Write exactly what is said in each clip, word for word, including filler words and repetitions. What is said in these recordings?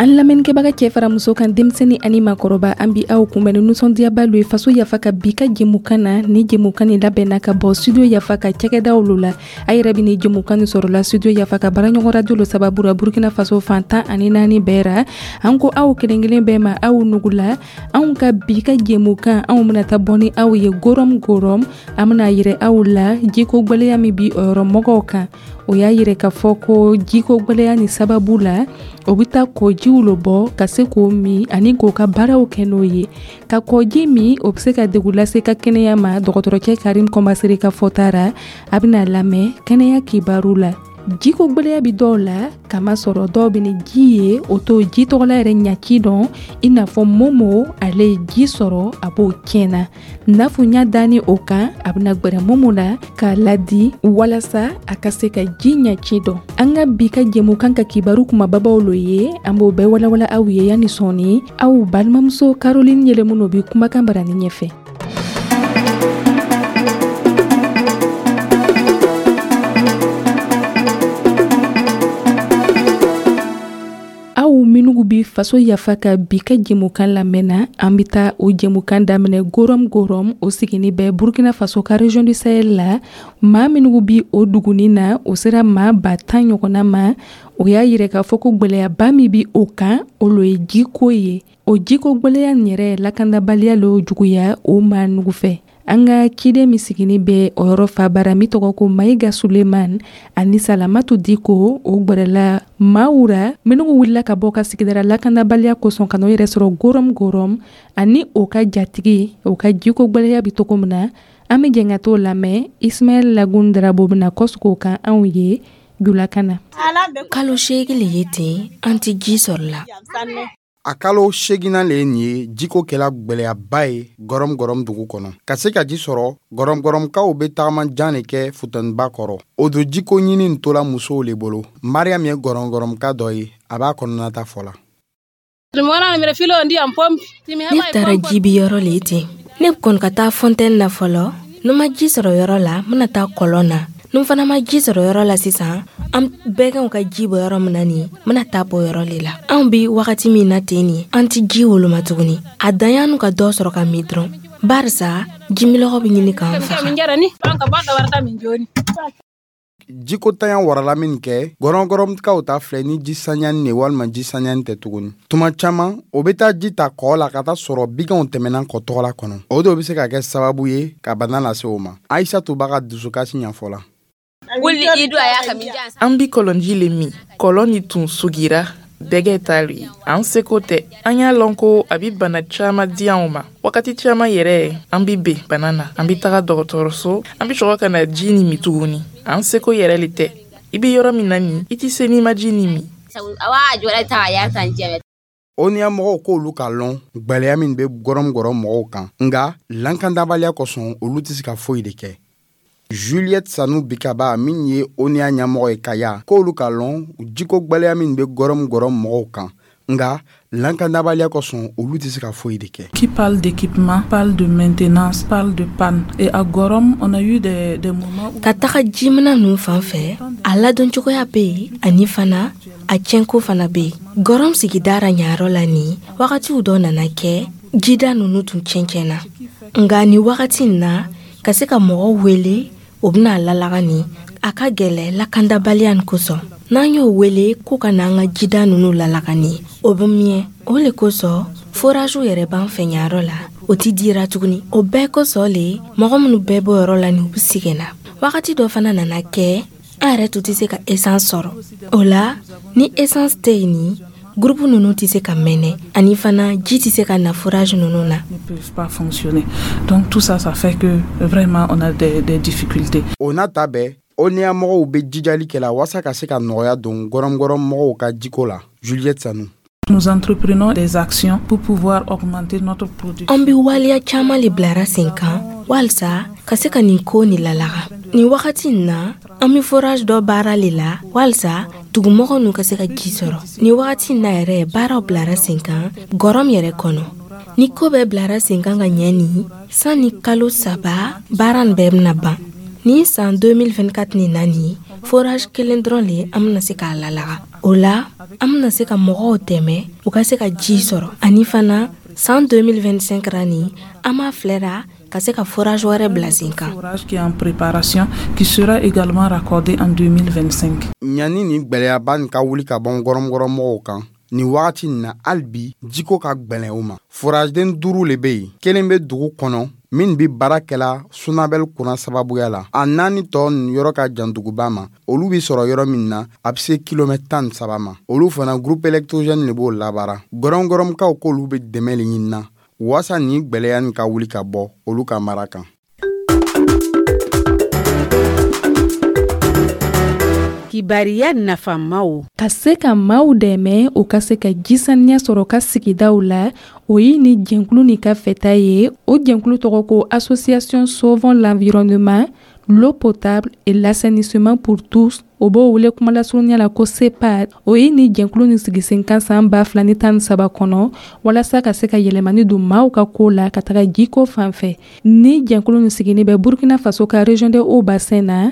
An lamɛnnikɛbaga cɛ fara muso kan, denmisɛnnin ani maakɔrɔba, an bi aw kunbɛn ni nisɔndiyaba lo ye Faso Yafa ka bi ka jɛmukan na. Ni jɛmukan nin labɛnna ka bɔ Studio Yafa ka cakɛdaw lo la. A yɛrɛ bɛ ni jɛmukan nin sɔrɔla Studio Yafa ka baaraɲɔgɔn radio lo sababu la Burkina Faso fan tan ani naani bɛɛ ra. An ko aw kelen kelen bɛɛ ma, aw nugula. Anw ka bi ka jɛmukan, anw bɛna taa bɔ ni aw ye Gorom Gorom. An bɛna yirɛ aw la jiko gwɛlɛya min bi o yɔrɔ mɔgɔw kan. O y'a yirɛ k'a fɔ ko jiko gwɛlɛya ni sababu la, o bɛ taa kɔjiw lo bɔ ka se k'o min ani k'o ka baaraw kɛ n'o ye. Ka kɔji min, o bɛ se ka degun lase ka kɛnɛya ma. Dɔgɔtɔrɔcɛ Karim Kɔmasere ka fɔta ra, a bɛna lamɛn kɛnɛya kibaru la. Jiko gwɛlɛya bi dɔw la, kamasɔrɔ dɔw bɛ ni ji ye, o t'o ji tɔgɔla yɛrɛ ɲaci dɔn, i n'a fɔ Momo. Ale ye ji sɔrɔ, a b'o tiɲɛna nafuɲa danni o kan. A bɛna gwɛrɛ Momo la k'a ladi walasa a ka se ka ji ɲaci dɔn. An ka bi ka jɛmukan ka kibaru kumababaw lo ye, an b'o bɛɛ walawala aw ye yanni sɔɔni. Aw balimamuso Caroline Yɛlɛmuno bi kumakan barani ɲɛfɛ. Aw minnu bi Faso Yafa ka bi ka jɛmukan lamɛnna, an bɛ taa o jɛmukan daminɛ Gorom Gorom. O sigini bɛ Burkina Faso ka région du Sahel la. Maa minnu bi o duguni na, o sera maa ba tan ɲɔgɔnna ma. O y'a yira k'a fɔ ko gwɛlɛyaba min bi o kan, o lo ye jiko ye. O jiko gwɛlɛya nin yɛrɛ, lakanabaliya lo juguya o maa nugu fɛ. An ka ciden min sigini bɛ o yɔrɔ fabara, min tɔgɔ ko Mayiga Suleman, ani Salamatu Diko, o gwɛrɛla maaw ra minnu wulila ka bɔ ka sigidara lakanabaliya kosɔn ka n'o yɛrɛ sɔrɔ Gorom Gorom, ani o ka jatigi o ka jiko gwɛlɛya bɛ cogo min na. An bɛ jɛn ka t'o lamɛn. Ismaɛl Lagun Darabo bɛna kɔsegin o kan anw ye julakan na. Kalo seegin le ye ten, an tɛ ji sɔrɔ la. A kalo seeginnan le ye nin ye, jiko kɛla gwɛlɛyaba ye Gɔrɔm Gɔrɔm dugu kɔnɔ. Ka se ka ji sɔrɔ, Gɔrɔm Gɔrɔmkaw bɛ tagama jan de kɛ futeniba kɔrɔ. O don jiko ɲini tola musow le bolo. Mariam ye Gɔrɔm Gɔrɔmka dɔ ye, a b'a kɔnɔnata fɔ la. Ne taara jibi yɔrɔ le ten. Ne kɔni ka taa fontaine na fɔlɔ. Ni ma ji sɔrɔ yɔrɔ la, n bɛna taa kɔlɔn na. Ni fana ma ji sɔrɔ yɔrɔ la sisan, an bɛɛgɛnw ka ji bɔ yɔrɔ min na nin, n bɛna taa bɔ yɔrɔ le la. Anw bi wagati min na ten nin, an tɛ ji woloma tuguni. A dan y'an ka dɔ sɔrɔ ka min dɔrɔn, barisa jimilɔgɔ bɛ ɲini k'an faga. Jiko tanya warala min kɛ, Gɔrɔngɔrɔmkaw ta filɛ ni ji saniyani de walima ji saniyani tɛ tuguni. Tuma caman o bɛ taa ji ta kɔ la ka taa sɔrɔ biganw tɛmɛna kɔ tɔgɔla kɔnɔ. O de bɛ se ka kɛ sababu ye ka bana lase o ma. Ayisatu b'a ka dusukasi ɲɛfɔ la. An bi kɔlɔnji le min. Kɔlɔn ni tun sugira bɛgɛ t'ale ye, an seko tɛ. An y'a lɔn ko a bi bana caman di anw ma. Wagati caman yɛrɛ, an bi ben bana na, an bi taga dɔgɔtɔrɔso, an bi sɔrɔ ka na ji ni min tuguni. An seko yɛrɛ le tɛ. I bi yɔrɔ min na nin, i ti se n'i ma ji ni min. O N U A mɔgɔw k'olu ka lɔn gwɛlɛya min bɛ Gɔrɔm Gɔrɔm mɔgɔw kan, nka lankandabaliya kosɔn, olu tɛ se ka foyi de kɛ. Juliette Sanu Bikaba min ye O N U A ɲɛmɔgɔ ye Kaya, k'olu ka lɔn jiko gwɛlɛya min bɛ Gɔrɔm Gɔrɔm mɔgɔw kan, nka lankandabaliya kosɔn, olu tɛ se ka foyi de kɛ. Qui parle d'équipement, parle de maintenance, parle de panne. Et à Gorom, on a eu des, des moments où... Ka taga jimina ninnu fan fɛ, a ladon cogoya bɛ yen, ani fana a tiɲɛko fana bɛ yen. Gɔrɔm sigidara ɲayɔrɔ la nin, wagatiw dɔ nana kɛ, jida ninnu tun tiɲɛ tiɲɛna. Nka nin wagati in na, ka se ka mɔgɔw wele o bɛna lalaga nin, a ka gɛlɛ lakandabaliya nin kosɔn. N'an y'o wele ko ka n'an ka jida ninnu lalaga nin, o bɛ miyɛ. O le kosɔn foraziw yɛrɛ b'an fɛ ɲayɔrɔ la, o ti dira tuguni. O bɛɛ kosɔn le mɔgɔ minnu bɛɛ bɔ yɔrɔ la nin, u bɛ sɛgɛn na. Wagati dɔ fana nana kɛ, an yɛrɛ tun tɛ se ka essence sɔrɔ. O la ni essence tɛ yen nin, groupe ninnu tɛ se ka mɛnɛ, ani fana ji tɛ se ka na forage ninnu na. Ne peuvent pas fonctionner. Donc tout ça, ça fait que vraiment on a des, des difficultés. O n'a ta bɛɛ, O N U A mɔgɔw bɛ jijali kɛ la walasa ka se ka nɔgɔya don Gɔrɔm Gɔrɔm mɔgɔw ka jiko la. Juliette Sanu. Nous entreprenons des actions pour pouvoir augmenter notre production. An bɛ waleya caman le bilara sen kan walisa ka se ka nin ko nin lalaga. Nin wagati in na, an bɛ forage dɔ baara le la walisa dugumɔgɔw n'u ka se ka ji sɔrɔ. Nin wagati in na yɛrɛ, baaraw bilara sen kan Gɔrɔm yɛrɛ kɔnɔ. Ni ko bɛɛ bilara sen kan ka ɲɛ nin, sanni kalo saba baara nin bɛɛ bɛna ban. Ni san deux mille vingt-quatre nin na nin, forage kelen dɔrɔn le an bɛna se k'a lalaga. O la, an bɛna se ka mɔgɔw dɛmɛ u ka se ka ji sɔrɔ. Ani fana, san deux mille vingt-cinq ra nin, an b'a filɛra ka se ka forage wɛrɛ bila sen kan. Forage qui est en préparation, qui sera également raccordé en deux mille vingt-cinq. Ɲani nin gwɛlɛyaba nin ka wuli ka bɔ gɔrɔmgɔrɔmɔgɔw kan nin wagati nin na, hali bi jiko ka gwɛlɛn u ma. Foraden duuru le be yen, kelen be dugu kɔnɔ min be baara kɛla SONABEL kuran sababuya la. A naani tɔ nin yɔrɔ ka jan duguba ma. Olu be sɔrɔ yɔrɔ min na, a be se kilomɛtɛ tan ni saba ma. Olu fana, groupe électrogène le b'o labara. Gɔrɔngɔrɔmkaw k'olu be dɛmɛ le ɲinina waasa nin gwɛlɛya nin ka wuli ka bɔ olu ka mara kan. Kibariya nafamaw. Ka se ka maaw dɛmɛ u ka se ka jisaniya sɔrɔ ka sigidaw la, o ye ni jɛnkulu nin ka fɛta ye. O jɛnkulu tɔgɔ ko Association Sauvons l'environnement, l'eau potable et l'assainissement pour tous. O b'o wele kumalasurunya la ko SEPAD. O ye ni jɛnkulu nin sigi sen kan san ba fila ni tan ni saba kɔnɔ walasa ka se ka yɛlɛmani don maaw ka ko la ka taga jiko fan fɛ. Ni jɛnkulu nin sigini bɛ Burkina Faso ka région de Haut Bassin na.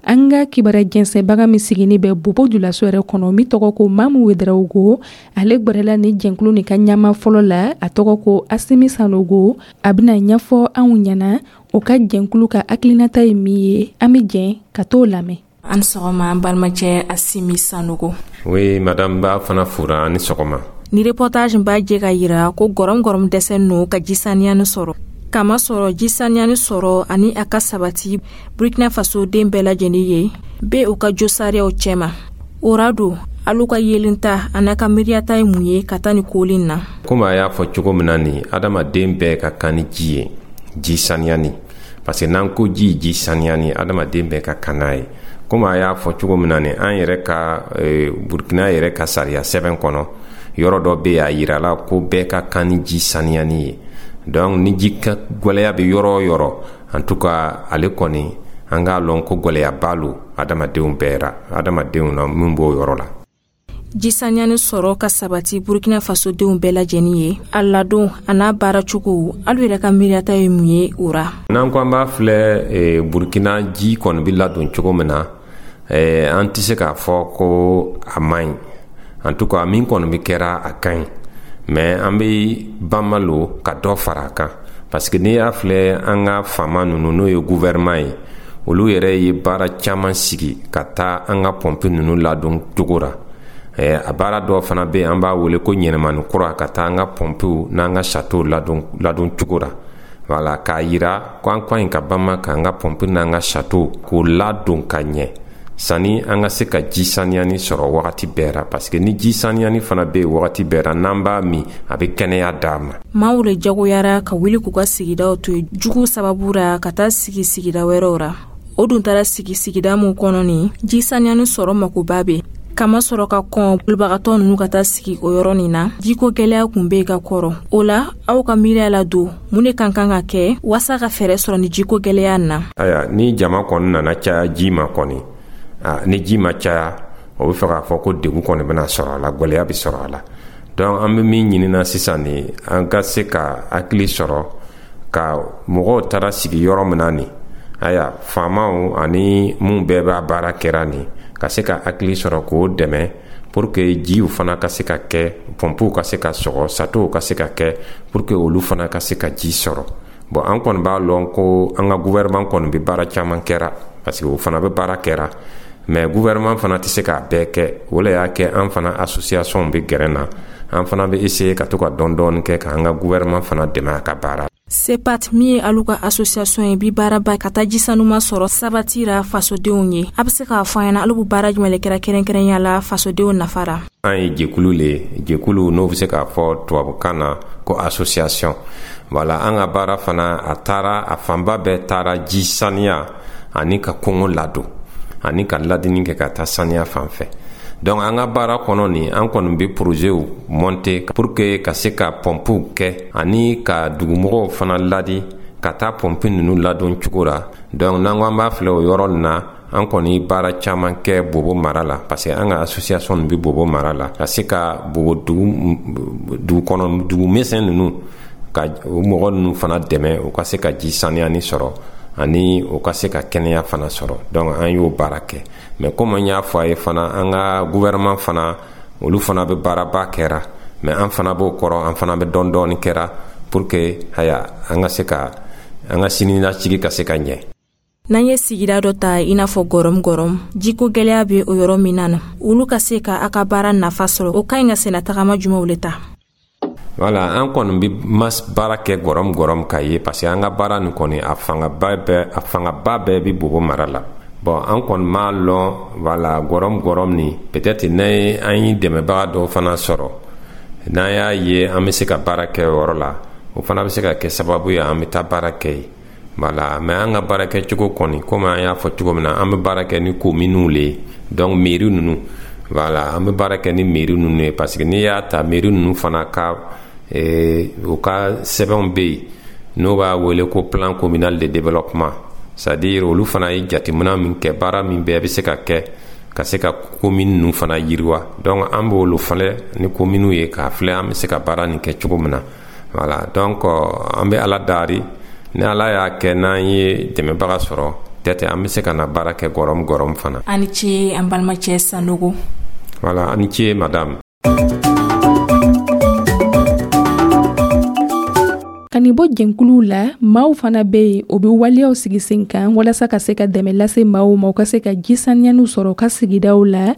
An ka kibaruya jɛnsɛnbaga min sigini bɛ Bobo Julaso yɛrɛ kɔnɔ, min tɔgɔ ko Mamu Wedarawogo, ale gwɛrɛla ni jɛnkulu nin ka ɲama fɔlɔ la, a tɔgɔ ko Asimi Sanogo. A bɛna ɲɛfɔ anw ɲɛna o ka jɛnkulu ka hakilinata ye min ye. An bɛ jɛn ka t'o lamɛn. An sɔgɔma, an balimacɛ Asimi Sanogo. Oui madame, b'a fana fura ani sɔgɔma. Ni reportage b'a jɛ ka yira ko gɔrɔm-gɔrɔm dɛsɛ no ka ji saniyani sɔrɔ, kama sɔrɔ ji saniyani sɔrɔ ani a ka sabati Burkina Faso den bɛɛ lajɛlen ye be u ka josariyaw cɛma. O ra don, alu ka yelenta a n'a ka miiriyata ye mun ye ka taa ni kolin na? Komi a y'a fɔ cogo min na nin, adamaden bɛɛ ka kan ni ji ye, ji saniyani, parce que n'an ko ji, ji saniyani, adamaden bɛɛ ka kan n'a ye. Komi a y'a fɔ cogo min na nin, an yɛrɛ ka e, Burkina yɛrɛ ka sariya sɛbɛn kɔnɔ, yɔrɔ dɔ bɛ yen, a yirala ko bɛɛ ka kan ni ji saniyani ye. Donc ni ji ka gwɛlɛya bɛ yɔrɔ o yɔrɔ, en tout cas ale kɔni, an k'a lɔn ko gwɛlɛyaba lo adamadenw bɛɛ ra, adamadenw na min b'o yɔrɔ la. Ji saniyani sɔrɔ ka sabati Burkina Fasodenw bɛɛ lajɛlen ye, a ladon a n'a baaracogo, alu yɛrɛ ka miiriyata ye mun ye o ra? N'an ko an b'a filɛ, e, Burkina ji kɔni bɛ ladon cogo min na, e, an tɛ se k'a fɔ ko a man ɲi. En tout cas min kɔni bɛ kɛra, a ka ɲi, mais an bɛ banma lo ka dɔ fara a kan, parce que n'i y'a filɛ, an ka faama ninnu, n'o ye gouvernement ye, olu yɛrɛ ye baara caman sigi ka taa an ka pɔnpe ninnu ladon cogo ra. A baara dɔw fana bɛ yen, an b'a wele ko ɲɛnɛmani kura, ka taa an ka pɔnpew n'an ka château ladon ladon cogo ra. Wala k'a yira ko an ka ɲi ka banma k'an ka pɔnpe n'an ka château k'o ladon ka ɲɛ sani an ka se ka ji saniyani sɔrɔ wagati bɛɛ ra, parce que ni ji saniyani fana bɛ yen wagati bɛɛ ra, n'an b'a min, a bɛ kɛnɛya d'a ma. Maaw le jagoyara ka wuli k'u ka sigidaw to yen jugu sababu ra ka taa sigi sigida wɛrɛw ra. O dun taara sigi sigida mun kɔnɔ nin, ji saniyani sɔrɔ makoba be kama sɔrɔ ka kɔn bolibagatɔ nunu ka taa sigi o yɔrɔ nin na. Jiko gwɛlɛya kun be ka kɔrɔ. O la, aw ka miiriya la don, mun de kan kan ka kɛ waasa ka fɛɛrɛ sɔrɔ ni jiko gwɛlɛya na? Aya, ni jama kɔni nana caya, ji ma kɔni, ni ji ma caya, o bɛ fɛ k'a fɔ ko degun kɔni bɛna sɔrɔ a la, gwɛlɛya bɛ sɔrɔ a la. Donc an bɛ min ɲinina sisan nin, an ka se ka hakili sɔrɔ ka mɔgɔw taara sigi yɔrɔ min na nin, aya, faamaw ani mun bɛɛ b'a baara kɛra nin, ka se ka hakili sɔrɔ k'o dɛmɛ pour que jiw fana ka se ka kɛ, pɔnpew ka se ka sɔgɔ, châteauw ka se ka kɛ, pour que olu fana ka se ka ji sɔrɔ. Bon, an kɔni b'a lɔn ko an ka gouvernement kɔni bɛ baara caman kɛra, parce que o fana bɛ baara kɛra, mais gouvernement fana tɛ se k'a bɛɛ kɛ. O le y'a kɛ an fana association bɛ gɛrɛ na, an fana bɛ essayer ka to ka dɔɔni dɔɔni kɛ k'an ka gouvernement fana dɛmɛ a ka baara. SEPAT min ye alu ka association ye, bi baaraba ka taa ji sanuma sɔrɔ sabatira fasodenw ye. A be se k'a fɔ an ɲɛna, alu be baara jumɛn le kɛra kɛrɛnkɛrɛnya la fasodenw nafa ra? An ye jɛkulu le ye, jɛkulu n'o bɛ se k'a fɔ tubabukan na ko association. Voilà, an ka baara fana, a taara, a fanba bɛɛ taara ji saniya ani ka kɔngɔ ladon ani ka ladini kɛ ka taa saniya fan fɛ. Donc an ka baara kɔnɔ nin, an kɔni bɛ projetw monter pour que ka se ka pɔnpew kɛ ani ka dugumɔgɔw fana ladi ka taa pɔnpe ninnu ladon cogo la. Donc n'an ko an b'a filɛ o yɔrɔ nin na, an kɔni baara caman kɛ Bobo mara la, parce que an ka association nin bɛ Bobo mara la, ka se ka Bobo dugu dugu kɔnɔ dugu misɛn ninnu, ka o mɔgɔ ninnu fana dɛmɛ u ka se ka ji saniyani sɔrɔ. Ani o ka se ka kɛnɛya fana sɔrɔ. Donc an y'o baara kɛ. Mais comme an y'a fɔ a ye fana, an ka gouvernement fana, olu fana bɛ baaraba kɛra, mais an fana b'o kɔrɔ, an fana bɛ dɔɔni dɔɔni kɛra pour que haya an ka se ka an ka siniɲɛsigi ka se ka ɲɛ. N'an ye sigida dɔ ta, i n'a fɔ Gɔrɔm Gɔrɔm, jiko gwɛlɛya be o yɔrɔ min na na, olu ka se ka a ka baara nafa sɔrɔ, o ka ɲi ka senna tagama jumanw le ta? Voilà, an kɔni bi mas baara kɛ Gɔrɔm Gɔrɔm ka ye, parce que an ka baara nin kɔni, a fangaba bɛɛ a fangaba bɛɛ bi Bobo mara la. Bon, an kɔni m'a lɔn, voilà, Gɔrɔm Gɔrɔm nin, peut-être ne an ye dɛmɛbaga dɔw fana sɔrɔ, n'an y'a ye an bɛ se ka baara kɛ o yɔrɔ la, o fana bɛ se ka kɛ sababu ye an bɛ taa baara kɛ yen. Voilà, mais an ka baara kɛcogo kɔni, komi an y'a fɔ cogo min na, an bɛ baara kɛ ni kominiw le ye, donc mairie ninnu. Voilà, an bɛ baara kɛ ni mairie ninnu ye, parce que n'i y'a ta, mairie ninnu fana ka eh, u ka sɛbɛnw bɛ yen n'o b'a wele ko plan communal de développement, c'est à dire olu fana ye jateminɛ min kɛ, baara min bɛɛ bɛ se ka kɛ ka se ka commune ninnu fana yiriwa. Donc an b'olu filɛ ni communes ye k'a filɛ an bɛ se ka baara nin kɛ cogo min na. Voilà, donc an bɛ Ala dari, ni Ala y'a kɛ n'an ye dɛmɛbaga sɔrɔ, peut-être an bɛ se ka na baara kɛ Gɔrɔm Gɔrɔm fana. A ni ce, an balimacɛ Sanogo. Voilà, a ni ce, madame. Ka nin bɔ jɛnkuluw la, maaw fana bɛ yen, o bɛ waleyaw sigi sen kan walasa ka se ka dɛmɛ lase maaw ma, u ka se ka ji saniyaniw sɔrɔ u ka sigidaw la,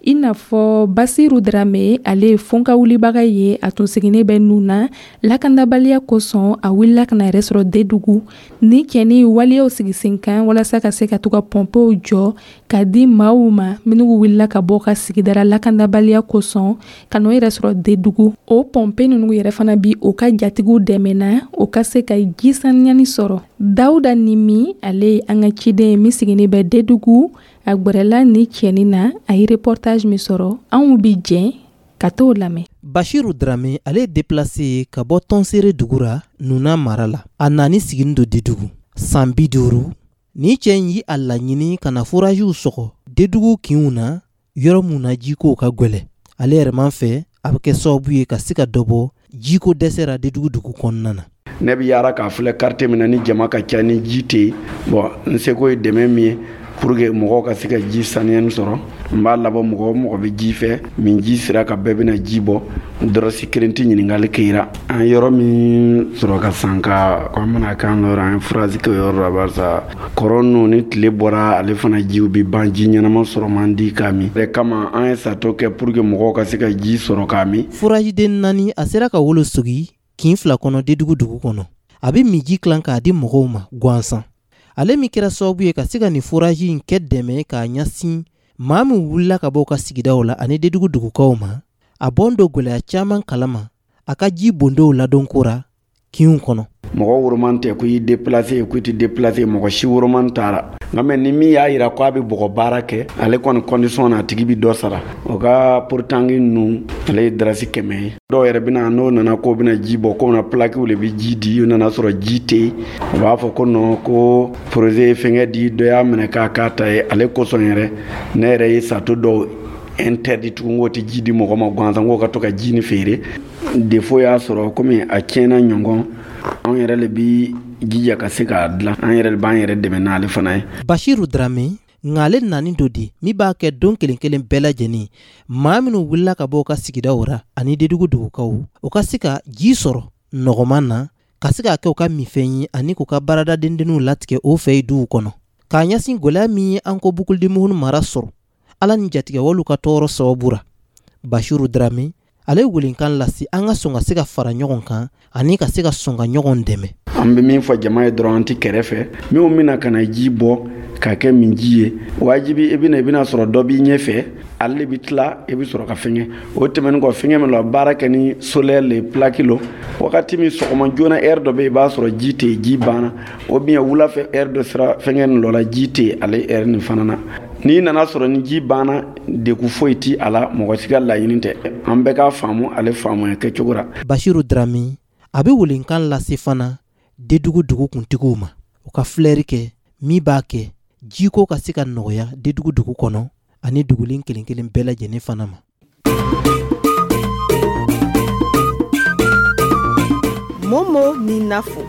i n'a fɔ Basiru Darame. Ale ye fonka wulibaga ye, a tun sigilen bɛ nun na. Lakandabaliya kosɔn, a wulila ka na yɛrɛ sɔrɔ Dedugu. Ni cɛni waleyaw sigi sen kan walasa ka se ka to ka pɔnpew jɔ ka di maaw ma minnu wulila ka bɔ ka sigidara lakandabaliya kosɔn ka n'o yɛrɛ sɔrɔ Dedugu. O pɔnpe ninnu yɛrɛ fana bi o ka jatigiw dɛmɛna o ka se ka ji saniyani sɔrɔ. Dawuda Nimi, ale ye an ka ciden ye min sigilen bɛ Dedugu, a gwɛrɛla ni cɛnin na, a ye reportage min sɔrɔ, anw bi jɛn ka t'o lamɛn. Bashiru Drame, ale ye déplacé ye ka bɔ Tɔnsere dugu ra, Nuna mara la. A nani siginin do Dedugu san bi duuru. Ni cɛ in yi a laɲini ka na forajiw sɔgɔ Dedugu kinw na, yɔrɔ mun na jikow ka gwɛlɛ. Ale yɛrɛ man fɛ, a bɛ kɛ sababu ye ka se ka dɔ bɔ jiko dɛsɛ ra Dedugu dugu kɔnɔna na. Ne bɛ yaara k'a filɛ quartier min na ni jama ka ca, ni ji tɛ yen. Bon, n seko ye dɛmɛ min ye pour que mɔgɔw ka se ka ji saniyani sɔrɔ, n b'a labɔ. Mɔgɔ o mɔgɔ bɛ ji fɛ min, ji sira ka bɛɛ bɛna ji bɔ, dɔrɔsi kelen tɛ ɲininkali kɛra. An yɔrɔ min sɔrɔ ka san ka ko an bɛna k'an ka yɔrɔ, an ye forage kɛ o yɔrɔ la, barisa kɔrɔ ninnu, ni tile bɔra, ale fana jiw bɛ ban, ji ɲɛnama sɔrɔ man di k'a min. O kama an ye sato kɛ pour que mɔgɔw ka se ka ji sɔrɔ k'a min. Forajiden naani, a sera ka wolo sogi kin fila kɔnɔ Dedugu dugu kɔnɔ. A bɛ miji tilan k'a di mɔgɔw ma gansan. Ale min kɛra sababu ye ka se ka nin foraji in kɛ dɛmɛ k'a ɲɛsin maa min wulila ka bɔ u ka sigidaw la ani Dedugu dugukaw ma, a bɔn don gwɛlɛya caman kalama a ka ji bondow ladonko ra kinw kɔnɔ. Mɔgɔ woroman tɛ ko i déplacé, ko i tɛ déplacé, mɔgɔ si woroman taara. Nka mɛ ni min y'a yira ko a bɛ bɔgɔ baara kɛ, ale kɔni condition na, a tigi bɛ dɔ sara. O ka porotangi ninnu, ale ye darasi kɛmɛ ye. Dɔw yɛrɛ bɛna, n'o nana k'o bɛna ji bɔ, k'o bɛna plaquew de bɛ ji di, o nana sɔrɔ ji tɛ yen, o b'a fɔ ko non, ko projet ye fɛnkɛ di, dɔ y'a minɛ k'a k'a ta ye. Ale kosɔn yɛrɛ, ne yɛrɛ ye sato dɔw interdit tugun, k'o tɛ ji di mɔgɔ ma gansan, k'o ka to ka ji ni feere. Défaut y'a sɔrɔ komi a tiɲɛna ɲɔgɔn, anw yɛrɛ le bi jija ka se k'a dilan, an yɛrɛ b'an yɛrɛ dɛmɛ n'ale fana ye. Bashiru Drame nka, ale nani do di min b'a kɛ don kelen kelen bɛɛ lajɛlen, maa minnu wulila ka bɔ u ka sigidaw ra ani Dedugu dugukaw, u ka se ka ji sɔrɔ nɔgɔman na, ka se k'a kɛ u ka minfɛn ye ani k'u ka baarada dendenninw latigɛ o fɛ yen duw kɔnɔ, k'a ɲɛsin gwɛlɛya min ye an ko Bukulidimugunu mara sɔrɔ Ala ni jatigɛwalew ka tɔɔrɔ sababu ra. Bashiru Drame, ale welenkan lase an ka sɔn ka se ka fara ɲɔgɔn kan ani ka se ka sɔn ka ɲɔgɔn dɛmɛ. An bɛ min fɔ jama ye dɔrɔn, an tɛ kɛrɛfɛ minnu bɛna ka na ji bɔ k'a kɛ min ji ye, wajibi i bɛna i bɛna sɔrɔ dɔ b'i ɲɛfɛ, ale bɛ tila, i bɛ sɔrɔ ka fɛngɛ. O tɛmɛnen kɔ, fɛngɛ min la baara kɛ ni solaire le plaque lo, wagati min sɔgɔma joona, heure dɔ bɛ yen, i b'a sɔrɔ ji tɛ yen, ji banna, o bien wula fɛ, heure dɔ sera, fɛngɛ nin dɔ la, ji tɛ yen ale heure nin fana na. N'i nana sɔrɔ ni ji banna, degun foyi ti a la, mɔgɔ si ka laɲini tɛ, an bɛɛ k'a faamu ale faamuya kɛcogo la. Bashiru Drame, a bɛ welenkan lase fana Dedugu dugu kuntigiw ma, u ka filɛri kɛ min b'a kɛ jiko ka se ka nɔgɔya Dedugu dugu kɔnɔ ani dugulen kelen kelen bɛɛ lajɛlen fana ma. Momo ni Nafo.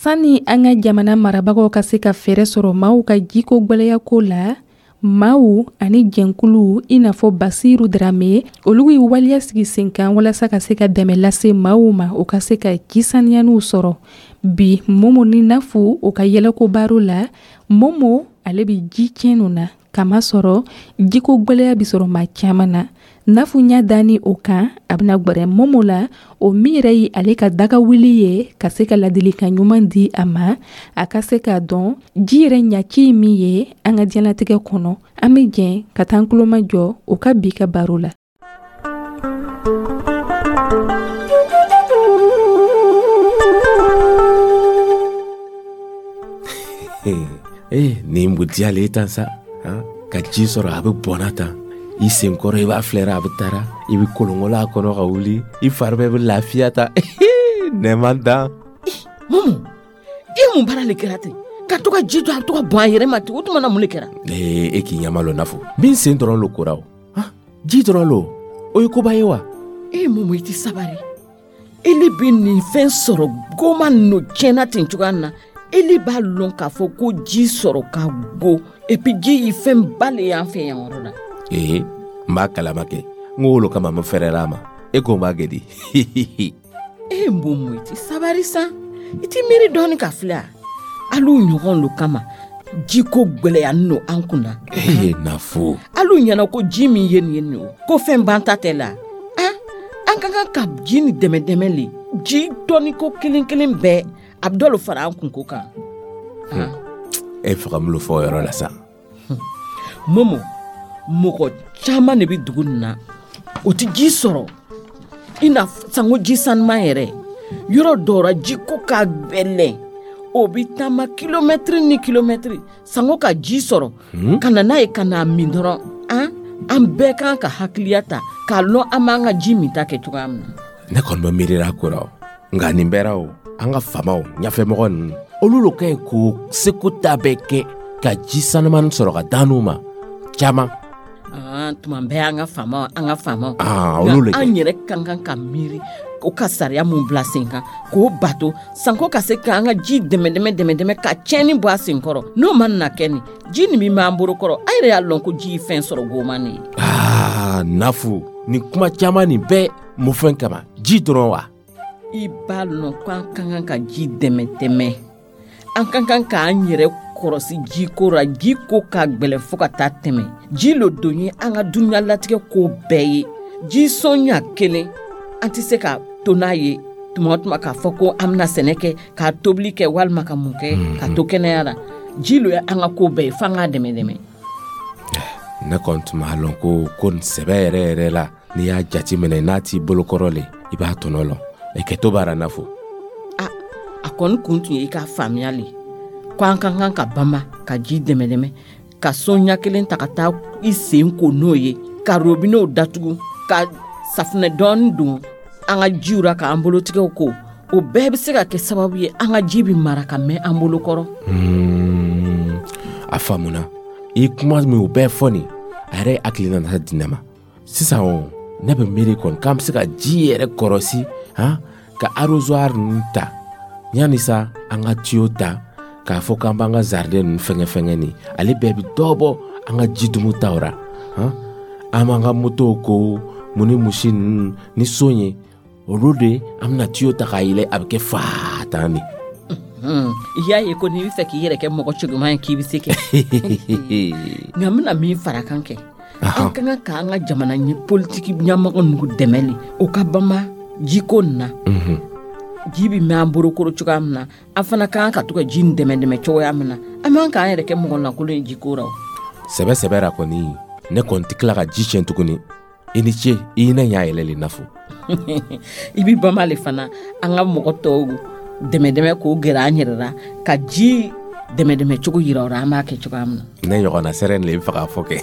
Sani an ka jamana marabagaw ka se ka fɛɛrɛ sɔrɔ maaw ka jiko gwɛlɛya ko la, maaw ani jɛnkuluw i n'a fɔ Basiru Darame, olu ye waleya sigi sen kan walasa ka se ka dɛmɛ lase maaw ma, u ka se ka ji saniyaniw sɔrɔ. Bi, Momo ni Nafu u ka yɛlɛko baro la, Momo ale bɛ ji tiɲɛ na, kamasɔrɔ jiko gwɛlɛya bɛ sɔrɔ maa caman na. Nafu ɲa dani o kan, a bɛna gwɛrɛ Momo la, o min yɛrɛ ye ale ka daga wuli ye, ka se ka ladilikan ɲuman di a ma, a ka se k'a dɔn ji yɛrɛ ɲaci ye min ye an ka diɲɛlatigɛ kɔnɔ. An bɛ jɛn ka taa an tulomajɔ o ka bi ka baro la. Ee, nin mun diyalen ye tan sa, ka ji sɔrɔ a bɛ bɔnna tan i senkɔrɔ, i b'a filɛra a bɛ taara, i bɛ kolonkolon a kɔnɔ ka wuli, i fari bɛɛ bɛ lafiya ta. Nɛma dan. Momo, i mun baara le kɛra ten ka to ka ji to a bɛ to ka bɔn a yɛrɛ ma ten? O tuma na mun le kɛra? Ee, e k'i ɲɛma lɔ Nafu, min sen dɔrɔn lo kora o, ji dɔrɔn lo, o ye koba ye wa? E Momo, i tɛ sabari. Ele bɛ nin fɛn sɔrɔ goma ninnu tiɲɛna ten cogoya min na, ele b'a lɔn k'a fɔ ko ji sɔrɔ ka go, et puis ji ye fɛn ba le y'an fɛ yan yɔrɔ la. Ee, n b'a kalama kɛ, n ko wolo kama n fɛrɛla a ma, e ko n b'a kɛ di? E Momo, i tɛ sabari sa, i tɛ miiri dɔɔni ka filɛ a al'u ɲɔgɔn lo kama jiko gwɛlɛya no an kunna. Ee Nafu, al'u ɲɛna ko ji min ye nin ye nin o ko fɛn banta tɛ la. An an ka kan ka ji ni dɛmɛ dɛmɛ le, ji dɔɔni ko kelen kelen bɛɛ a bɛ dɔ lo fara an kunko kan. E faga mun fɔ o yɔrɔ la sa? Momo, mɔgɔ caman de bɛ dugu nin na, o tɛ ji sɔrɔ i n'a sanko ji sanuman yɛrɛ. Yɔrɔ dɔw la jiko ka gɛlɛn, o bɛ taama kilomɛtiri ni kilomɛtiri sanko ka ji sɔrɔ ka na n'a ye ka n'a min dɔrɔn. An an bɛɛ kan ka hakiliya ta k'a lɔn an b'an ka ji min ta kɛ cogoya min na. Ne kɔni bɛ miirila ko la o, nka nin bɛɛ la o, an ka faamaw ɲɛfɛmɔgɔ ninnu, olu lo ka ɲi k'o seko ta bɛɛ kɛ ka ji sanuman sɔrɔ ka d'an ma caman. Tuma bɛɛ an ka faamaw, an ka faamaw, olu le an yɛrɛ ka kan ka miiri o ka sariya mun bila sen kan k'o bato sanko ka se k'an ka ji dɛmɛ dɛmɛ dɛmɛ dɛmɛ ka tiɲɛni bɔ a sen kɔrɔ. N'o ma na kɛ nin ji nin min b'an bolo kɔrɔ, an yɛrɛ y'a lɔn ko ji ye fɛn sɔrɔ goma nin ye. Aa Nafu, nin kuma caman nin bɛɛ mun fɛn kama, ji dɔrɔn wa? I b'a lɔn k'an ka kan ka ji dɛmɛ dɛmɛ, an ka kan k'an yɛrɛ kɔrɔsi jiko la. Ji ko ka gwɛlɛn fo ka taa tɛmɛ. Ji lo don ye an ka dunuya latigɛ ko bɛɛ ye. Ji sɔnɲa kelen an tɛ se ka to n'a ye tuma o tuma k'a fɔ ko an bɛna sɛnɛ kɛ, k'a tobili kɛ, walima ka mun kɛ ka to kɛnɛya la. Ji lo ye an ka ko bɛɛ ye, f'an k'a dɛmɛ dɛmɛ. Ne kɔni tun b'a lɔn ko ko nin sɛbɛ yɛrɛ yɛrɛ la, n'i y'a jateminɛ n'a t'i bolokɔrɔ le, i b'a tɔnɔ lɔn. E kɛ to baara Nafu. A a kɔni kun tun ye i k'a faamuya le ko an ka kan ka bama ka ji dɛmɛ dɛmɛ, ka sɔnɲa kelen ta ka taa i sen ko n'o ye, ka robinɛw datugu, ka safunɛ dɔɔni don an ka jiw ra k'an bolotigɛw ko. O bɛɛ bɛ se ka kɛ sababu ye an ka ji bɛ mara ka mɛn an bolo kɔrɔ. A faamuna, i kuma min o bɛɛ fɔ nin, a yɛrɛ hakili nana di ne ma sisan. O ne bɛ miiri kɔni k'an bɛ se ka ji yɛrɛ kɔrɔsi, han, ka arrosoir ninnu ta yanni sa an ka tuyau ta k'a fɔ k'an b'an ka jardin ninnu fɛngɛ fɛngɛ nin, ale bɛɛ bɛ dɔ bɔ an ka ji dumu taw ra. Han, an b'an ka motow ko mun ni musi ninnu ni son ye, olu de an bɛna tuyau ta k'a yɛlɛ, a bɛ kɛ faa tan de. I y'a ye ko n'i bɛ fɛ k'i yɛrɛ kɛ mɔgɔ cɛɲuman ye k'i bɛ se kɛ. Nka n bɛna min fara kan kɛ, an ka kan k'an ka jamana politiki ɲɛmɔgɔ ninnu dɛmɛ le o ka bama jiko nin na. Ji bɛ mɛn an bolokɔrɔ cogoya min na, an fana ka kan ka to ka ji nin dɛmɛ dɛmɛ cogoya min na. An man k'an yɛrɛ kɛ mɔgɔ lankolon ye jiko la o. Sɛbɛ sɛbɛ ra kɔni, ne kɔni tɛ tila ka ji tiɲɛ tuguni. I ni ce, i ne ɲa yɛlɛ le Nafu. I bɛ bama le fana an ka mɔgɔ tɔw dɛmɛ dɛmɛ k'o gɛrɛ an yɛrɛ la, ka ji dɛmɛ dɛmɛ cogo yira o la, an b'a kɛ cogoya min na. Ne ɲɔgɔnna sɛrɛ le i bɛ fɛ k'a fɔ kɛ.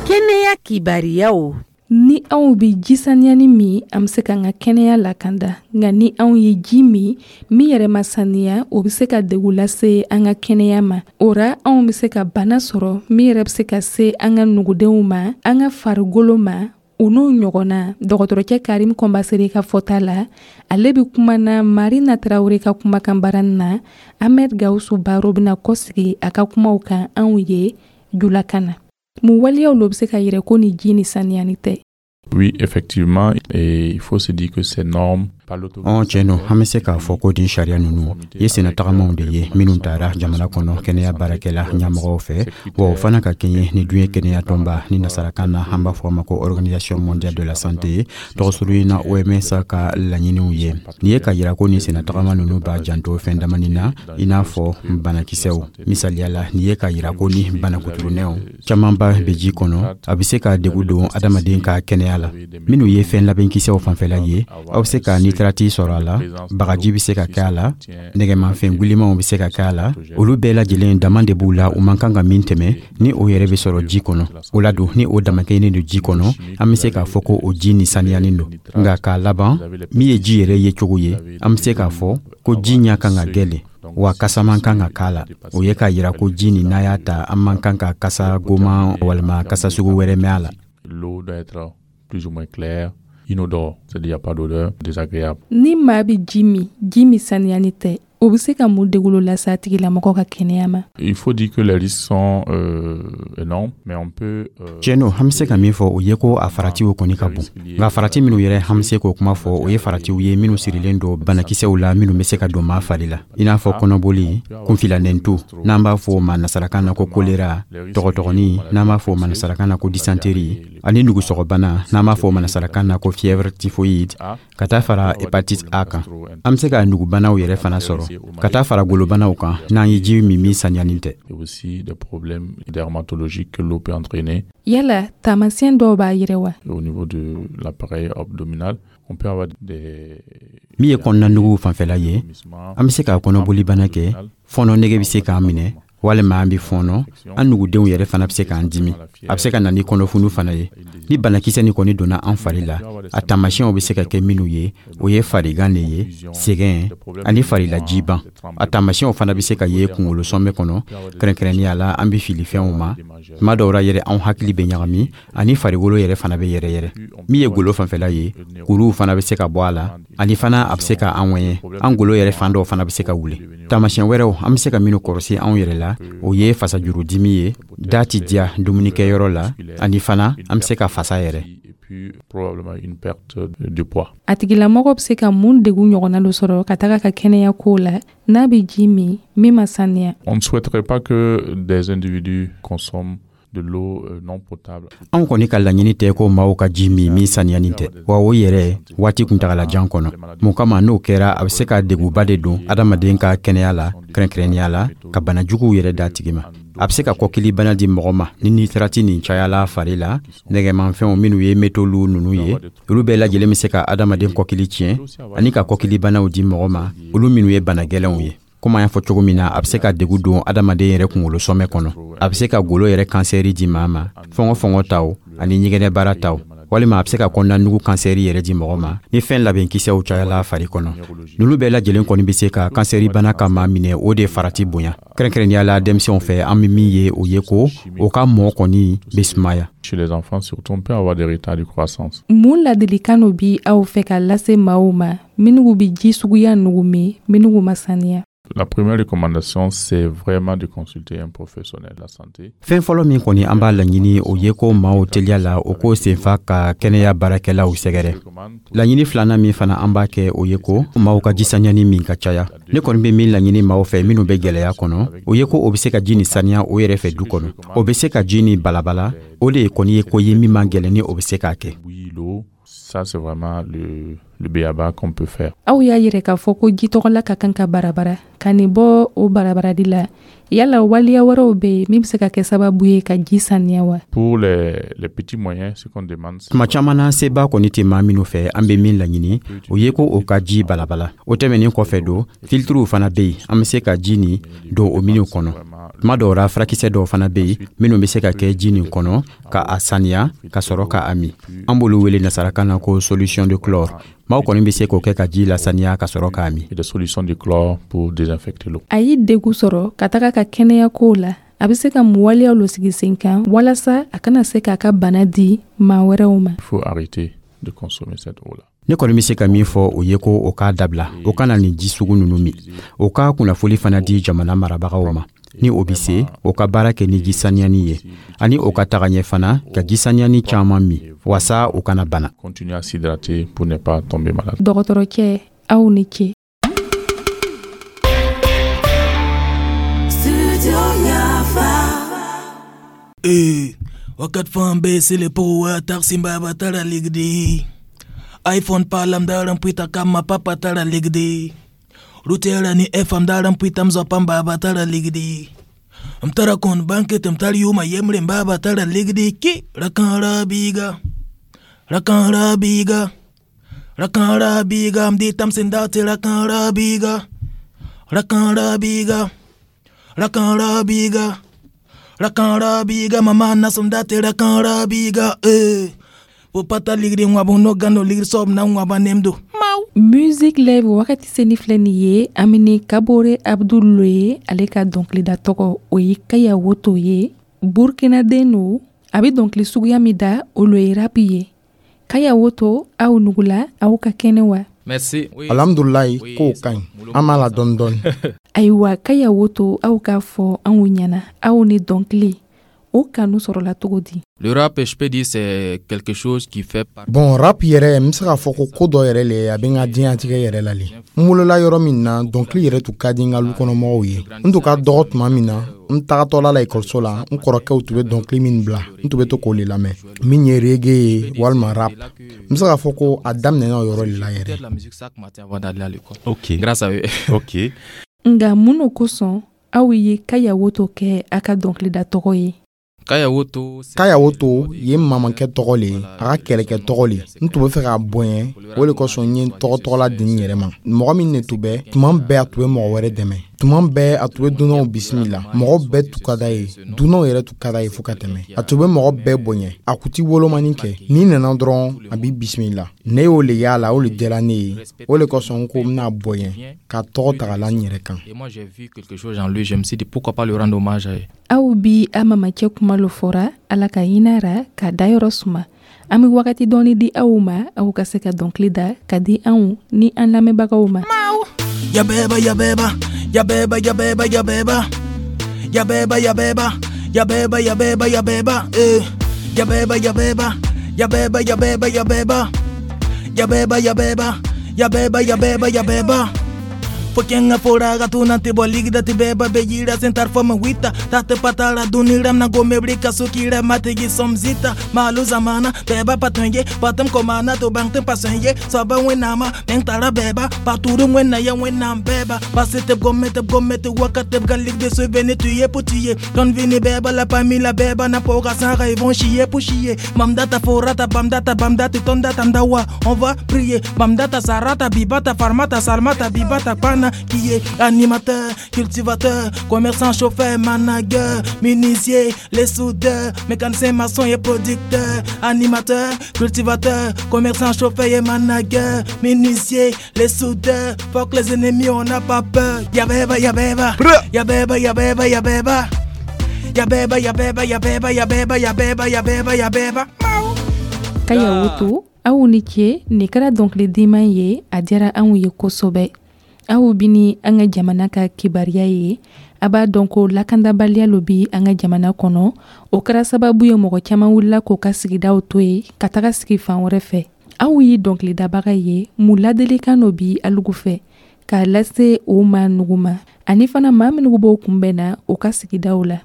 Kɛnɛya kibariyaw. Ni Anw bɛ ji saniyani min, an bɛ se k'an ka kɛnɛya lakanda. Nka ni anw ye ji min min yɛrɛ ma saniya, o bɛ se ka degun lase an ka kɛnɛya ma. O ra, anw bɛ se ka bana sɔrɔ min yɛrɛ bɛ se ka se an ka nugudenw ma, an ka farikolo ma, o n'o ɲɔgɔnna. Dɔgɔtɔrɔcɛ Karim Kɔnbasere ka fɔta la, ale bɛ kuma na Marina Tarawele ka kumakan baara na. Ahmed Gawusu Baro bɛna kɔsigi a ka kumaw kan anw ye julakan na. Mun waleyaw lo bɛ se ka yɛrɛ ko ni ji ni saniyani tɛ? Oui, effectivement, et il faut se dire que ces normes Ɔn, tiɲɛ don. An bɛ se k'a fɔ ko nin sariya ninnu ye sennatagamaw de ye minnu tara jamana kɔnɔ kɛnɛya baarakɛla ɲɛmɔgɔw fɛ, wa o fana ka kɛɲɛ ni diɲɛ kɛnɛya tɔnba, ni nasarakan na an b'a fɔ a ma ko Organisation mondiale de la santé, tɔgɔsuru na O M S, ka laɲiniw ye. Nin ye ka yira ko nin sennatagama ninnu b'a janto fɛn damani na, i n'a fɔ banakisɛw. Misaliya la, nin ye ka yira ko ni banakuturunɛw camanba bɛ ji kɔnɔ, a bɛ se ka degu don adamaden ka kɛnɛya la. Minnu ye fɛn labɛnkisɛw fanfɛla ye, aw bɛ se ka nitrati sɔrɔ a la, bagaji bɛ se ka kɛ a la, nɛgɛmafɛn gilimanw bɛ se ka kɛ a la. Olu bɛɛ lajɛlen, dama de b'u la u man kan ka min tɛmɛ. Ni o yɛrɛ bɛ sɔrɔ ji kɔnɔ, o la don, ni o damakɛɲɛnen don ji kɔnɔ, an bɛ se k'a fɔ ko o ji ni saniyalen don. Nka k'a laban, min ye ji yɛrɛ ye cogo ye, an bɛ se k'a fɔ ko ji ɲɛ kan ka gɛlɛn, wa kasa man kan ka k'a la. O ye k'a yira ko ji nin, n'a y'a ta, an man kan ka kasa goman walima kasa sugu wɛrɛ mɛn a la. L'eau doit être plus ou moins claire, inodore, c'est-à-dire il n'y a pas d'odeur désagréable. Ni maa bɛ ji min, ji min saniyani tɛ, o bɛ se ka mun degun lase a tigilamɔgɔ ka kɛnɛya ma? Il faut dire que les risques sont euh, énormes, mais on peut euh, Tiɲɛ don. An bɛ se ka min fɔ, o ye ko a faratiw kɔni ka bon. Nka farati minnu yɛrɛ an bɛ se k'o kuma fɔ, o ye faratiw ye minnu sirilen don banakisɛw la minnu bɛ se ka don maa fari la, i n'a fɔ kɔnɔboli, kunfilanɛntu, n'an b'a fɔ o ma nasarakan na ko kolera, tɔgɔtɔgɔnin, n'an b'a fɔ o ma nasarakan na ko dysenterie, ani nugusɔgɔbana, n'an b'a fɔ o ma nasarakan na ko fièvre typhoïde, ka taa fara hépatite A kan. An bɛ se ka nugubanaw yɛrɛ fana sɔrɔ, ka taa fara golobanaw kan, n'an ye ji min min saniyani tɛ. Et aussi des problèmes dermatologiques que l'eau peut entraîner. Yala taamasiyɛn dɔw b'a yɛrɛ wa? Au niveau de l'appareil abdominal, on peut avoir des Min ye kɔnɔna fanfɛla ye, an bɛ se ka kɔnɔbolibana kɛ, fɔɔnɔ nege bɛ se k'an minɛ walima an bɛ fɔɔnɔ, an nugudenw yɛrɛ fana bɛ se k'an dimi. A bɛ se ka na ni kɔnɔfunu fana ye. Ni banakisɛ nin kɔni donna an fari la, a taamasiyɛnw bɛ se ka kɛ minnu ye, o ye farigan de ye, sɛgɛn ani farilajiban. A taamasiyɛnw fana bɛ se ka ye kunkolo sɔnbɛ kɔnɔ, kɛrɛnkɛrɛnnenya la an bɛ fili fɛnw ma tuma dɔw la yɛrɛ, anw hakili bɛ ɲagami, ani farikolo yɛrɛ fana bɛ yɛrɛ yɛrɛ. Min ye golo fanfɛla ye, kuruw fana bɛ se ka bɔ a la, ani fana a bɛ se ka an ŋɛɲɛ, an golo yɛrɛ fan dɔw fana bɛ se ka wuli. Taamasiyɛn wɛrɛw an bɛ se ka minnu kɔlɔsi anw yɛrɛ la, o ye fasajurudimi ye, da ti diya dumunikɛyɔrɔ la, ani fana an bɛ se ka fasa yɛrɛ. Probablement une perte de poids. A tigilamɔgɔ bɛ se ka mun degun ɲɔgɔnna dɔ sɔrɔ ka taga ka kɛnɛya ko la n'a bɛ ji min min ma saniya? On ne souhaiterait pas que des individus consomment de l'eau euh, non potable. Anw kɔni ka laɲini tɛ ko maaw ka ji min min saniyani tɛ, wa o yɛrɛ waati kuntagalajan kɔnɔ. Mun kama? N'o kɛra, a bɛ se ka degunba de don adamaden ka kɛnɛya la, kɛrɛnkɛrɛnnenya la ka bana juguw yɛrɛ d'a tigi ma. A bɛ se ka kɔkilibana di mɔgɔ ma ni nitrati nin cayala fari la. Nɛgɛmanfɛnw minnu ye métaux ninnu ye, olu bɛɛ lajɛlen bɛ se ka adamaden kɔkili tiɲɛ ani ka kɔkilibanaw di mɔgɔ ma, olu minnu ye bana gɛlɛnw ye. Komi an y'a fɔ cogo min na, a bɛ se ka degu don adamaden yɛrɛ kunkolo sɔmɛ kɔnɔ, a bɛ se ka golo yɛrɛ kansɛri di maa ma, fɔngɔ fɔngɔ taw ani ɲɛgɛnɛbara taw, walima a bɛ se ka kɔnɔna kansɛri yɛrɛ di mɔgɔ ma ni fɛn labɛnkisɛw cayala fari kɔnɔ. Ninnu bɛɛ lajɛlen kɔni bɛ se ka kansɛri bana ka maa minɛ, o de farati bonya. Kɛrɛnkɛrɛnnenya la denmisɛnw fɛ, an bɛ min ye, o ye ko o ka mɔ kɔni bɛ sumaya. Chez les enfants, surtout, on peut avoir des retards de croissance. Mun ladilikan dɔ bi aw fɛ ka lase maaw ma minnu bɛ ji suguya nugu min minnu ma saniya? La première recommandation, c'est vraiment de consulter un professionnel de la santé. Fɛn fɔlɔ min kɔni an b'a laɲini, o ye ko maaw teliya la o k'o senfa ka kɛnɛya baarakɛlaw sɛgɛrɛ. Laɲini filanan min fana an b'a kɛ, o ye ko maaw ka ji saniyani min ka caya. Ne kɔni bɛ min laɲini maaw fɛ minnu bɛ gwɛlɛya kɔnɔ, o ye ko o bɛ se ka ji ni saniya o yɛrɛ fɛ du kɔnɔ, o bɛ se ka ji ni balabala. O de kɔni ye ko ye min man gɛlɛn ni o bɛ se k'a kɛ. Ça, c'est vraiment le, le b a-ba qu'on peut faire. Aw y'a yɛrɛ k'a fɔ ko ji tɔgɔla ka kan ka barabara ka nin bɔ o barabaradi la. Yala waleya wɛrɛw bɛ yen min bɛ se ka kɛ sababu ye ka ji saniya wa? Pour les, les petits moyens, ce qu'on demande, Tuma caman na, seba kɔni tɛ maa minnu fɛ, an bɛ min laɲini, o ye ko o ka ji balabala. O tɛmɛnin kɔfɛ don, filtruw fana bɛ yen, an bɛ se ka ji nin don o minnu kɔnɔ. Tuma dɔw ra, furakisɛ dɔw fana bɛ yen minnu bɛ se ka kɛ ji nin kɔnɔ ka a saniya ka sɔrɔ ka a min. An b'olu wele nasarakan na ko solution de chlore. Maaw kɔni bɛ se k'o kɛ ka ji lasaniya ka sɔrɔ k'a min. Et des solutions de chlore pour désinfecter l'eau. A y'i degu sɔrɔ ka taga ka kɛnɛya kow la, a bɛ se ka mun waleyaw lo sigi sen kan walasa a kana se k'a ka bana di maa wɛrɛw ma? Il faut arrêter de consommer cette eau-là. Ne kɔni bɛ se ka min fɔ o ye ko o k'a dabila, o kana nin ji sugu ninnu min. O ka kunnafoli fana di jamana marabagaw ma. Ni o bɛ se, o ka baara kɛ ni ji saniyani ye, ani o ka taga ɲɛ fana ka ji saniyani caman min wasa o kana bana. Continuer à s'hydrater pour ne pas tomber malade. Dɔgɔtɔrɔcɛ, aw ni ce. Studio Yafa. Eh, wakat fan be sele po wa taxi baba tara ligdi. iPhone palam daram pita kama papa tara ligdi. Rutera ni F M daram pita mzopam baba tara ligdi. Mtara kon banket mtari yuma yemre baba tara ligdi ki rakan rabiga. Rakan rabiga. Rakan rabiga mdi tamsindati rakan rabiga. Rakan rabiga. Rakan rabiga. Rakan rabiga mama nasumdati rakan rabiga eh. Popata ligdi ngwabu no gano ligdi sob na ngwaba nemdo. Music Live wagati seni filɛ nin ye, an bɛ ni Kabore Abdul ye. Ale ka dɔnkilida tɔgɔ, o ye Kaya Woto ye. Burkinaden no. A bɛ dɔnkili suguya min da, o lo ye rap ye. Kaya Woto, aw nugula, aw ka kɛnɛ wa? Merci. Oui. Alhamdulilayi, kow ka ɲi, an b'a la dɔɔni dɔɔni. Ayiwa, Kaya Woto, aw k'a fɔ anw ɲɛna, aw ni dɔnkili o kanu sɔrɔla cogo di? Le rap, je peux dire, c'est quelque chose qui fait partie. Bon, rap yɛrɛ, n bɛ se k'a fɔ ko ko dɔ yɛrɛ le, a bɛ n ka diɲɛlatigɛ yɛrɛ la le. N wolola yɔrɔ min na, dɔnkili yɛrɛ tun ka di n ka lukɔnɔmɔgɔw ye. N tun ka dɔgɔ tuma min na, n tagatɔla la ekɔliso la, n kɔrɔkɛw tun bɛ dɔnkili min bila, n tun bɛ to k'o le lamɛn, min ye reggae ye walima rap. N bɛ se k'a fɔ ko a daminɛna o yɔrɔ de la yɛrɛ. La musique chaque matin avant d'aller à l'école. Ok. Grâce à eux. Ok. Nga mun no kosɔn aw ye Kaya Woto kɛ a ka dɔnkilida tɔgɔ ye? Kaya Woto, c'est Kaya Woto ye n mamakɛ tɔgɔ le ye, a ka kɛlɛkɛ tɔgɔ le. N tun bɛ fɛ k'a bonya, o le kosɔn n ye n tɔgɔ tɔgɔla di n yɛrɛ ma. Mɔgɔ min ne tun bɛ tuma bɛɛ, a tun bɛ mɔgɔ wɛrɛ dɛmɛ tuma bɛɛ, a tun bɛ dunanw bisimila, mɔgɔ bɛɛ tun ka d'a ye, dunanw yɛrɛ tun ka d'a ye fo ka tɛmɛ. A tun bɛ mɔgɔ bɛɛ bonya, a kun ti wolomani kɛ. N'i nana dɔrɔn, a b'i bisimila. Ne y'o le y'a la, o le diyara ne ye. O le kosɔn n ko n bɛna bonya ka tɔgɔ ta ka la n yɛrɛ kan. Et moi, j'ai vu quelque chose en lui. Je me suis dit, pourquoi pas lui rendre hommage. Aw bi a mamacɛ kuma lo fɔra, Ala ka hinɛ ra ka dayɔrɔ suma. An bɛ wagati dɔɔni di aw ma, aw ka se ka dɔnkili da ka di anw ni an lamɛnbagaw ma. Yabeba yabeba yabeba yabeba yabeba yabeba yabeba yabeba yabeba yabeba eh yabeba yabeba yabeba yabeba yabeba yabeba yabeba yabeba yabeba yabeba. Fokenga fora gatuna te boligda te beba bejira sentar fama wita tate patara duniram na gome brika sukira mategi somzita malu zamana beba patonye patam komana to bang te pasonye saba wenama meng tara beba paturu wena ya wena beba pasete gome te gome te wakate galik de se vene tuye pour tuer don vini beba la pamila beba na poga sara ils vont chier pour chier mamdata forata bamdata bamdata tondata ndawa on va prier bamdata sarata bibata farmata salmata bibata pana qui est animateur, cultivateur, commerçant, chauffeur, manager, menuisier, les soudeurs, mécanicien, maçon et producteur, animateur, cultivateur, commerçant, chauffeur et manager, menuisier, les soudeurs, fuck les ennemis, on n'a pas peur. Yabeba, yabeba, yabeba, yabeba, yabeba, yabeba, yabeba, yabeba, yabeba, yabeba, yabeba, yabeba. Kaya Woto, aw ni ce. Nin kɛra dɔnkili diman ye, a diyara anw ye kosɛbɛ. Aw bi ni an ka jamana ka kibaruya ye. A b'a dɔn ko lakandabaliya lo bi an ka jamana kɔnɔ. O kɛra sababu ye mɔgɔ caman wulila k'o ka sigidaw to ye ka taga sigi fan wɛrɛ fɛ. Aw ye dɔnkilidabaga ye, mun ladilikan dɔ bi alugu fɛ k'a lase o ma nugu ma, ani fana maa minnu b'o kunbɛn na o ka sigidaw la?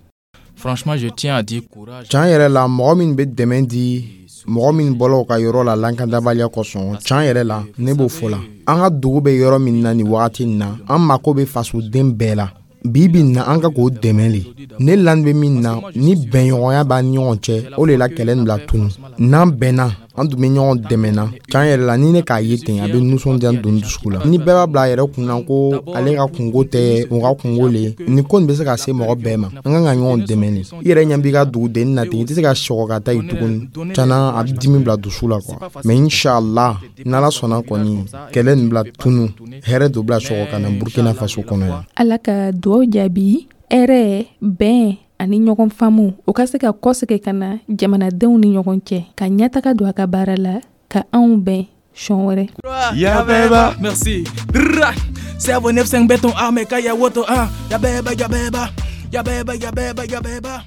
Franchement, je tiens à dire courage. Can yɛrɛ la, mɔgɔ min bɛ dɛmɛ di mɔgɔ min bɔla u ka yɔrɔ la lankandabaliya kosɔn, can yɛrɛ la, ne b'o fɔ la. An ka dugu bɛ yɔrɔ min na nin wagati in na, an mako bɛ fasoden bɛɛ la bi bi in na, an ka k'o dɛmɛ le. Ne lani bɛ min na, ni bɛnɲɔgɔnya b'an ni ɲɔgɔn cɛ, o de la kɛlɛ nin bila tunu. N'an bɛnna An tun bɛ ɲɔgɔn dɛmɛ na. Can yɛrɛ la, ni ne k'a ye ten, a bɛ nisɔndiya don dusu la. Ni bɛɛ b'a bila a yɛrɛ kun na ko ale ka kungo tɛ o ka kungo le, ni ko nin bɛ se ka se mɔgɔ bɛɛ ma. An kan ka ɲɔgɔn dɛmɛ de. I yɛrɛ ɲɛ b'i ka dugudenni na ten, i tɛ se ka sɔgɔ ka taa yen tuguni. Tiɲɛna, a bɛ dimi bila dusu la quoi. Mais inshallah, n'Ala sɔnna kɔni, kɛlɛ nin bila tunu, hɛrɛ dɔ bila sɔgɔ ka na Burkina Faso kɔnɔ yan. Ala ka duwaw jaabi. Hɛrɛ, bɛn ani ɲɔgɔn faamu, o ka se ka kɔsegin ka na jamanadenw ni ɲɔgɔn cɛ, ka ɲɛtaga don a ka baara la, ka anw bɛn sɔn wɛrɛ. Yabeba. Merci. Cerveau neuf cinq béton armé Kaya Woto un. Yabeba, yabeba. Yabeba, yabeba, yabeba.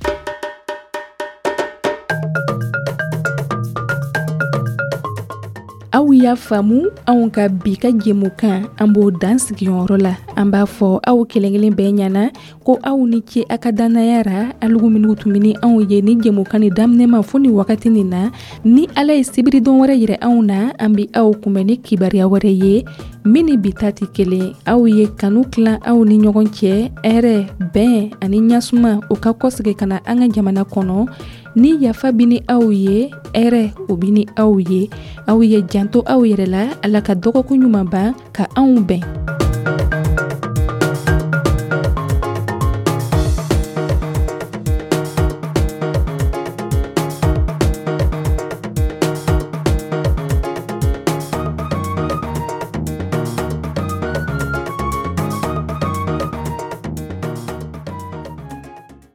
Aw y'a faamu, anw ka bi ka jɛmukan, an b'o dan sigiyɔrɔ la. An b'a fɔ aw kelen-kelen bɛɛ ɲɛna ko aw ni ce a ka dannaya ra, alugu minnu tun bɛ ni anw ye ni jɛmukan ni daminɛ ma fo ni wagati nin na. Ni Ala ye sibiridon wɛrɛ yira anw na, an bɛ aw kunbɛn ni kibaruya wɛrɛ ye min ni bi ta tɛ kelen. Aw ye kanu tilan aw ni ɲɔgɔn cɛ, hɛrɛ, bɛn ani ɲasuma, o ka kɔsegin ka na an ka jamana kɔnɔ. Ni yafa bi ni aw ye, hɛrɛ o bi ni aw ye. Aw ye janto aw yɛrɛ la. Ala ka dɔgɔkun ɲuman ban ka anw bɛn.